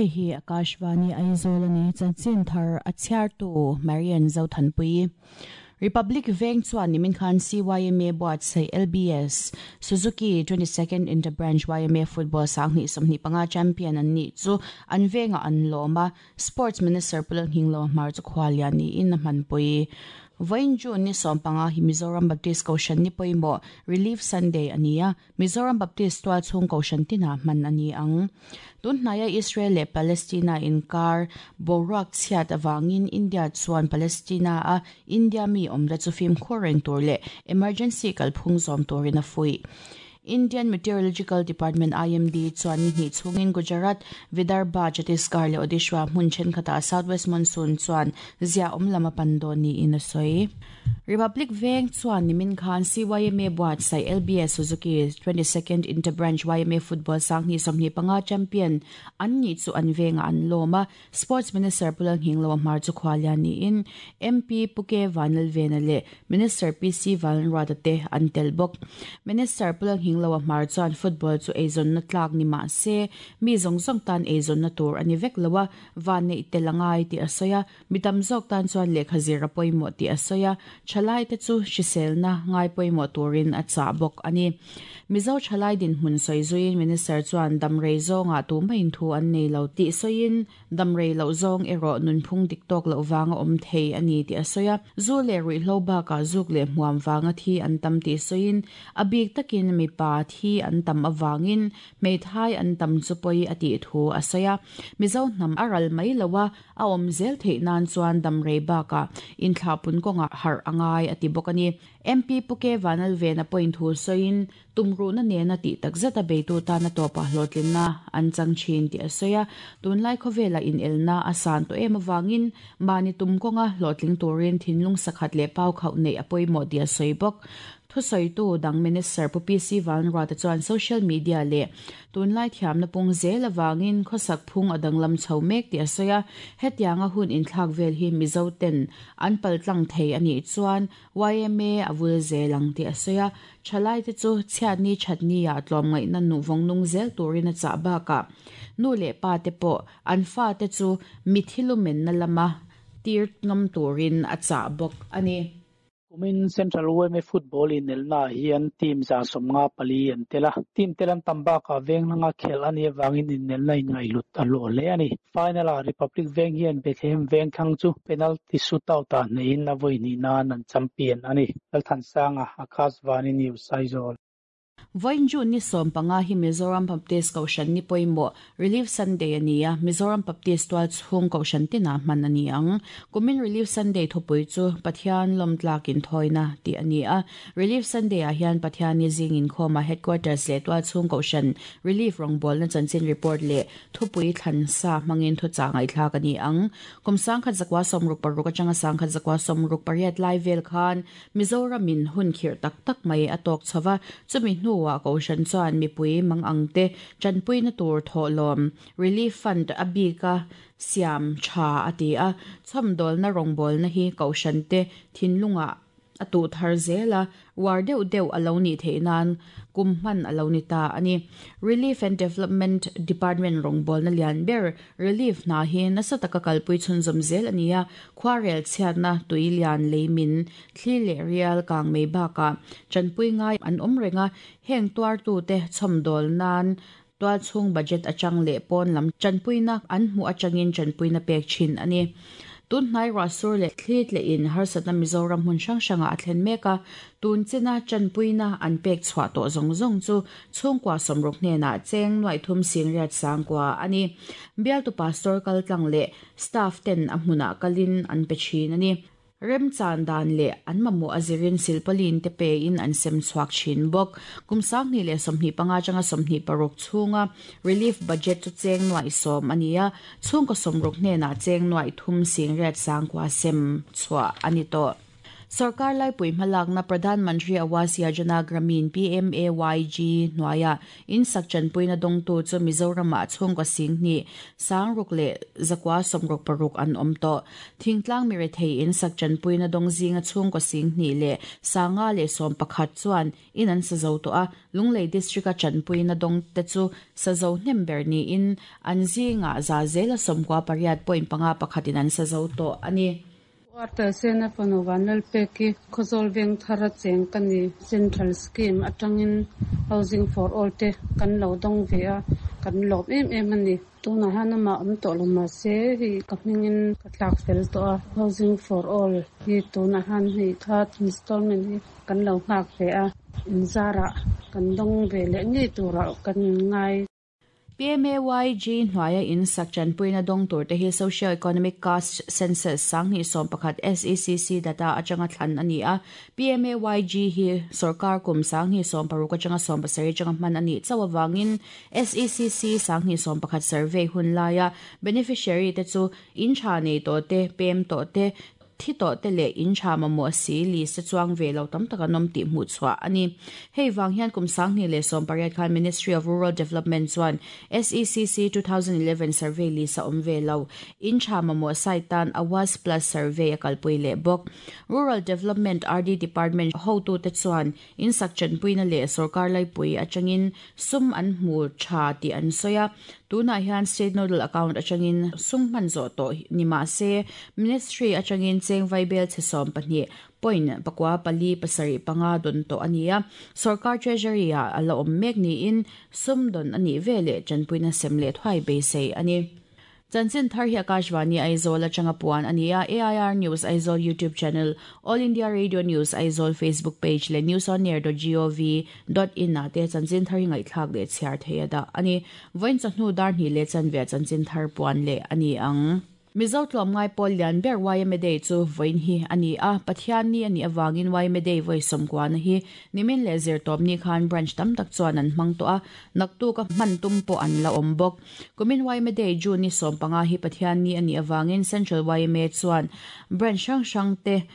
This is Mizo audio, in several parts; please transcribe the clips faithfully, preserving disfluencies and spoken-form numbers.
Hei hi Akashvani Aizawl ani chanchin thar a chhiartu Marian Zothanpui. Republic Veng chuan nimin khan C Y M A buatsaih L B S Suzuki twenty-second Interbranch Y M A Football sanghnih sawmhnih panga champion an nih chu an venga an lawma Sports Minister Pulal Hinglo Hmar chu khwalian niin a hmanpui. Vawiin June ni sawm panga hi Mizoram Baptist Kohhran ni pawimawh Relief Sunday ania Mizoram Baptist tual chhung Kohhran tina hman ani ang. Tunhnaya Israel leh Palestina inkar boruak chhiat awangin India chuan Palestina a India mi awmna chu fimkhur reng tur leh emergency kalphung zawm turin a fui. Indian Meteorological Department I M D chuan ni hnih chungin Gujarat, Vidarbha, Chhattisgarh leh Odisha hmun thenkhatah Southwest Monsoon chuan zia awm lama pan dawn niin a sawi. Republic Veng chuan nimin khan C Y M A buatsaih L B S Suzuki twenty-second Interbranch Y M A Football sanghnih sawmhnih panga champion an nih chu an venga an lawma Sports Minister Pulal Hinglo Hmar chu khwalian niin M P Puke Vanlalvena leh Minister P C Vanruata te an tel bawk. Minister Pulal Hinglo Hmar chuan football chu eizawn na tlak ni mah se mi zawng zawng tan eizawn na tur ani vek loa van nei telangai ti a sawi a mitam zawk tan chuan lehkha zir a pawimawh ti a sawi a thalai te chu hriselna ngai pawimawh turin a chah bawk ani. Mizo thalai din hmun sawi zuiin Minister chuan damrei zawnga tu maiin thu an nei lo tih sawiin damrei loh zawng erawh nunphung dik tawk loh vanga awm thei ani ti a sawi a zu leh ruihhlo bakah zuk leh hmuam vanga thi an tam tih sawiin a bik takin mipa thi an tam awangin hmeithai an tam chu pawi a tih thu a sawi a Mizo hnam a ral mai loa a awm zel theih nan chuan damrei bakah inthlahpun kawnga harh angai a ti bawk ani. M P Puke Vanlalvena point thu sawiin tumruhna nena tih takzet a beitu tana tawpa hlawhtlinna an chang thin tih a sawi a tunlai khawvela inelna a san tawh em awangin mahni tum kawnga hlawhtling turin thinlung sakhat leh pau khauh neih a pawimawh tih a sawi bawk. Thusawitu dang Minister Pu P C Vanruata chuan social media leh tunlai thiamna pung zel awangin khawsak phung a danglam chho mek tih a sawi a hetianga hun inthlak vel hi Mizo ten an paltlang thei anih chuan Y M A a vul zel ang tih a sawi a thalai te chu chhiatni thatni ah tlawm ngaihna nu vawng nung zel turin a chah bakah nu leh pa te pawh an fa te chu mithilumen na lama tir ngam turin a chah bawk ani. Kumin Central Y M A Football in elna hian team za sawmnga pali an tela. Team telan tambaka veng langa khel ani awangin in elna in ngailut a lo hle ani. Final a Republic Veng hian Bethlehem Veng thlang chu penalty shootout ah neiin a vawi hnih nan an champion ani. Lalthansanga Akashvani News Aizawl. Vawiin June ni sawm panga hi Mizoram Baptist Kohhran ni pawimawh Relief Sunday ania Mizoram Baptist tual chhung Kohhran tina hman ani ang. Kumin Relief Sunday thupui chu Pathian lawmtlakin thawina tih ani a. Relief Sunday ah hian Pathian ni zingin khawma headquarters leh tual chhung Kohhran Relief rawngbawlna na chanchin report leh thupui thlan sa hmangin thu cha ngaihthlak ani ang. Kum sangkhat zakwa sawmruk paruk atanga sangkhat zakwa sawmruk pariat lai vel khan Mizoramin hun khirh tak tak mai a tawk chhowa chumi hnu wa Kohhran chuan mipui mang te chanpui na tur thawhlawm Relief Fund a bika siam tha ati a chhawmdawl na rawngbawlna na hi Kohhran te thinlunga a tu thar zela war deuh deuh alo ni theih nan kum hman alo ni ta ani. Relief and Development Department rawngbawlna na lian ber relief na hi nasa taka kalpui chhunzawm zel ania khwarel chhiatna tui lian leimin thli leh rial kang mei bakah chanpui ngai an awm renga heng tuar tu te chhawmdawl nan tual chhung budget atang leh pawn lam chanpuina an hmu atangin chanpuina pek thin ani. Tunhnai rasur leh thlit leh in harsatna Mizoram hmun hrang hranga a thlen mek a tun china chanpuina an pek chhuah tawh zawng zawng chu chhungkua sawmruk hnenah cheng nuai thum singriat sangkua ani. Bialtu pastor kaltlang leh staff ten a hmunah kalin an pe thin ani. Rem chan dan leh an mamawh a zirin silpalin te pe in an sem chhuak thin bawk. Kum sanghnih leh sawmhnih panga atanga sawmhnih paruk chhunga relief budget chu cheng nuai sawm ani a chhungkaw sawmruk hnenah cheng nuai thum singriat sangkua sem chhuah ani tawh. Sarkar laipui hmalakna Pradhan Mantri Awas Yojana Gramin P M A Y G hnuaia in sak chanpuina dawngtu chu Mizoramah chhungkaw singhnih sangruk leh zakua sawmruk paruk an awm tawh. Thingtlang mi rethei in sak chanpuina dawng zinga chhungkaw singhnih leh sanga leh sawm pakhat chuan in an sa zo tawh a, Lunglei district a chanpuina dawng te chu sa zo hnem ber niin an zinga za zela sawmkua pariat point panga pakhatin an sa zo tawh a ni. Arta sena panovan lalpeki khozol veng thara cheng kani central scheme atangin housing for all te kan lo dong ve a kan lop em em ani tuna hana ma om to lo ma se hi kapningin katlak fel to a housing for all hi tuna han hi third installment hi kan lo ngak ve a inzara kan dong ve le nge tura kan ngai. P M A Y G hnuaia in sak chanpuina dawng tur te hi Socio Economic Caste Census sanghnih sawm pakhat S E C C data atanga thlan ani a. P M A Y G hi sarkar kum sanghnih sawm paruk atanga sawm pasarih atanga hman ani chawawangin S E C C sanghnih sawm pakhat survey hun laia beneficiary te chu in tha nei to te pem to te thi to te le in tha ma mo si li se chuang ve lo tam taka nom ti mu chwa ani. Hei wang hian kum sanghnih leh sawm pariat khan Ministry of Rural Development chuan S E C C two thousand eleven survey li sa om ve lo in tha ma mo sai tan Awas Plus survey akalpui le bok. Rural Development R D Department ho tu te chuan in sak chanpuina le sarkar lai pui atangin sum an hmu tha ti an soya. Tuna hian state nodal account atangin sum man zo to nima se ministry atangin cheng vaibel chesom pahnih point pakwa pali pasari panga don to ania. Sarkar treasury a ala om mek ni in sum don ani vele chanpuina semle thwai be sei ani. Chanchin thar hi Akashvani Aizawl atanga puan ania. A I R News Aizawl YouTube channel, All India Radio News Aizawl Facebook page le news on air dot gov dot in na te chanchin thar hi ngai thlak le chhiar theia da ani. Voin chahnu dar ni le chanve chanchin thar puan le ani ang. Mizo tlawm ngai pawl lian ber Y M A Day chu voin hi ani a. Pathian ni ani awangin Y M A Day voi sawmkua na hi nimin le zir tawp ni khan branch tam tak chuan an hmang tawh a, naktu ka hman tum pawh an la awm bawk. Kumin Y M A Day June ni sawm panga hi Pathian ni ani awangin Central Y M A chuan branch hrang hrang te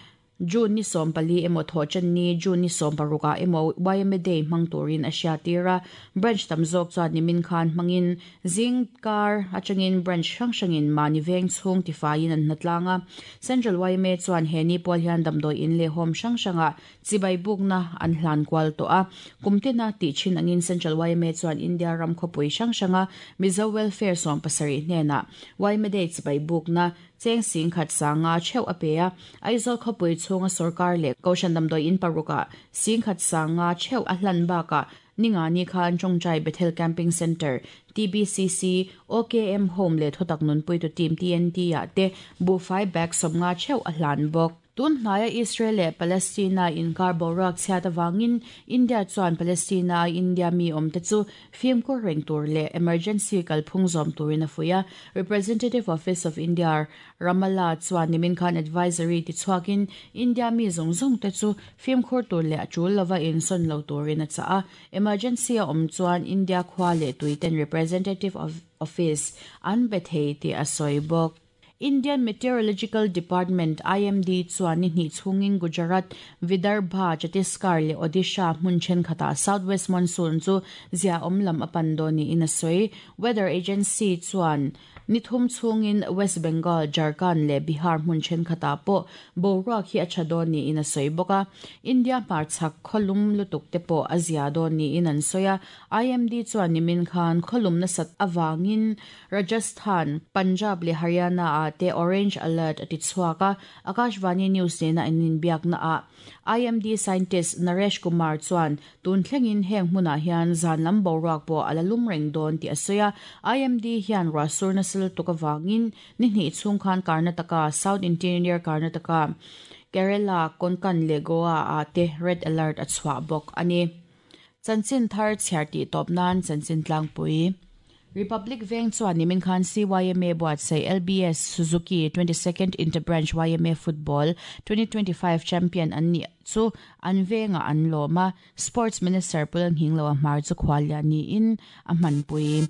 June ni sawm pali emaw thaw chan ni June ni sawm paruka emaw Y M A Day hmang turin a hria tira. Branch tam zawk chuan nimin khan hmangin zing kar atangin branch hrang hrangin mani veng chhung tifaiin an hnatlanga. Central Y M A chuan he ni pawl hian damdawi in leh home hrang hranga chibai bukna an hlan kual tawh a. Kumtina tih thin angin Central Y M A chuan India ram khawpui hrang hranga Mizo Welfare sawm pasarih hnenah Y M A Day chibai bukna cheng sing khat sanga cheu apea. Aizawl khawpui chhunga sarkar leh Koshan damdawi in paruka sing khat sanga cheu a hlan baka ninga ni khan Chongchai Bethel Camping Center T B C C O K M Home le thotak nunpui tu team T N T a te bu fai bag sawmnga cheu a hlan bawk. Tun hnaia Israel leh Palestina inkar boruak chhiat awangin India chuan Palestina India mi awm te chu fimkhur reng tur leh emergency kalphung zawm turin a fuia. Representative Office of India Ramallah chuan nimin khan advisory ti chhuakin India mi zawng zawng te chu fimkhur tur leh a tul lova insawn lo turin a chah a. Emergency a awm chuan India khua leh tuiten Representative of Office an be thei ti a sawi bawk. Indian Meteorological Department I M D chuan ni hnih chhungin Gujarat, Vidarbha, Chhattisgarh leh Odisha hmun thenkhatah Southwest Monsoon chu zia awm lam a pan dawn niin a sawi. Weather Agency chuan ni thum chhungin West Bengal, Jharkhand leh Bihar hmun thenkhatah pawh boruak hi a tha dawn niin a sawi bawk a. India hmarchhak khawlum lutuk te pawh a zia dawn niin an sawi a. I M D chuan nimin khan khawlum nasat awangin Rajasthan, Punjab leh Haryana a te orange alert ati chhuaka. Akashvani News nena in biakna a I M D scientist Naresh Kumar chuan tun thlengin heng hmunah hian zan lam boruak pawh ala lum reng dawn ti a sawi a. I M D hian ruahsur nasal tuk awangin ni hnih chhung khan Karnataka, South Interior Karnataka, Kerala, Konkan leh Goa a te red alert a chhuah bawk ani. Chanchin thar chhiar tih tawp nan chanchin tlangpui. Republic Veng chuan nimin khan C Y M A buatsaih L B S Suzuki twenty-second Interbranch Y M A Football twenty twenty-five champion an ni chu an venga an lawma. Sports Minister Pulan Hinglo a hmar chu khwalia niin a hmanpui.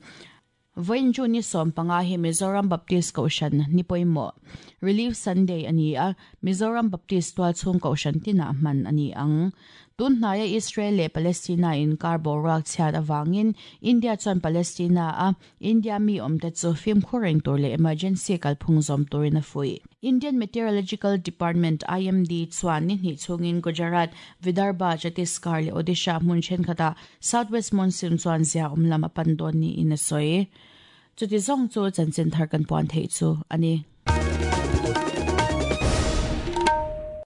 Vawiin June ni sawm panga hi Mizoram Baptist Kohhran ni pawimawh Relief Sunday a ni a, Mizoram Baptist tualchhung Kohhran tinah hman a ni ang. Tun hnaia Israel leh Palestina inkar boruak chhiat avangin India chuan Palestina a India mi awmte chu fimkhur reng tur leh emergency kalphung zawm turin a fuih. Indian Meteorological Department, I M D, chuan ni hnih chungin Gujarat, Vidarbha, Chhattisgarh leh Odisha hmun thenkhatah Southwest Monsoon chuan zia awm lam a pan dawn niin a sawi. Chuti zawng chu chanchin thar kan puan theih chu a ni.